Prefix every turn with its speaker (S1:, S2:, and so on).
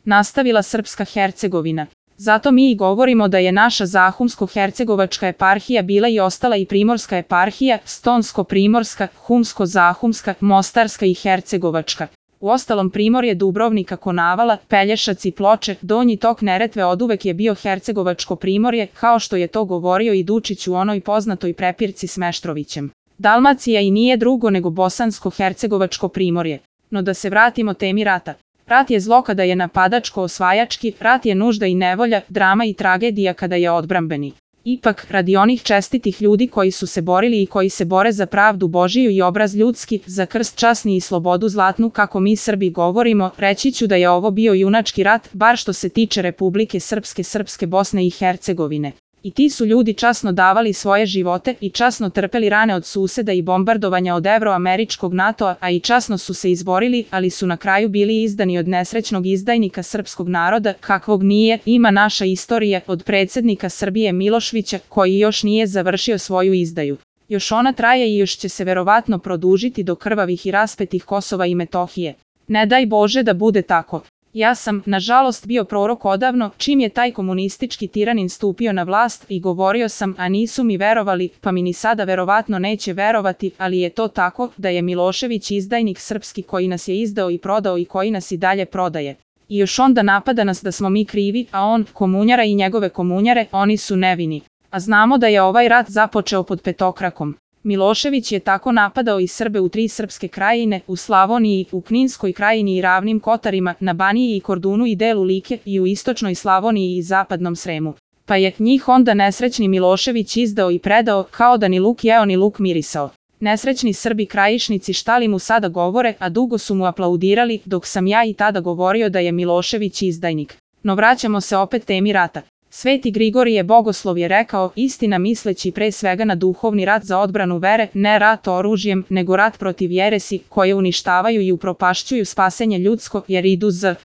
S1: nastavila Srpska Hercegovina. Zato mi i govorimo da je naša Zahumsko-hercegovačka eparhija bila i ostala i Primorska eparhija, Stonsko-primorska, Humsko-zahumska, Mostarska i Hercegovačka. Uostalom Primorje, Dubrovnika, Konavala, Pelješac i Ploče, Donji tok Neretve oduvek je bio Hercegovačko primorje, kao što je to govorio i Dučić u onoj poznatoj prepirci s Meštrovićem. Dalmacija i nije drugo nego Bosansko-hercegovačko primorje. No da se vratimo temi rata. Rat je zlo kada je napadačko-osvajački, rat je nužda i nevolja, drama i tragedija kada je odbrambeni. Ipak, radi onih čestitih ljudi koji su se borili i koji se bore za pravdu Božiju i obraz ljudski, za krst časni i slobodu zlatnu, kako mi Srbi govorimo, reći ću da je ovo bio junački rat, bar što se tiče Republike Srpske Bosne i Hercegovine. I ti su ljudi časno davali svoje živote i časno trpeli rane od suseda i bombardovanja od evroameričkog NATO-a, a i časno su se izborili, ali su na kraju bili izdani od nesrećnog izdajnika srpskog naroda, kakvog nije, ima naša istorija, od predsjednika Srbije Miloševića, koji još nije završio svoju izdaju. Još ona traje i još će se verovatno produžiti do krvavih i raspetih Kosova i Metohije. Ne daj Bože da bude tako. Ja sam, nažalost, bio prorok odavno, čim je taj komunistički tiranin stupio na vlast i govorio sam, a nisu mi verovali, pa mi ni sada verovatno neće verovati, ali je to tako, da je Milošević izdajnik srpski koji nas je izdao i prodao i koji nas i dalje prodaje. I još onda napada nas da smo mi krivi, a on, komunjara i njegove komunjare, oni su nevini. A znamo da je ovaj rat započeo pod petokrakom. Milošević je tako napadao i Srbe u 3 srpske krajine, u Slavoniji, u Kninskoj krajini i Ravnim Kotarima, na Baniji i Kordunu i delu Like i u istočnoj Slavoniji i zapadnom Sremu. Pa je njih onda nesrećni Milošević izdao i predao, kao da ni luk jeo ni luk mirisao. Nesrećni Srbi krajišnici šta li mu sada govore, a dugo su mu aplaudirali, dok sam ja i tada govorio da je Milošević izdajnik. No vraćamo se opet temi rata. Sveti Grigorije Bogoslov je rekao, istina misleći pre svega na duhovni rat za odbranu vere, ne rat oružjem, nego rat protiv jeresi, koje uništavaju i upropašćuju spasenje ljudsko, jer idu z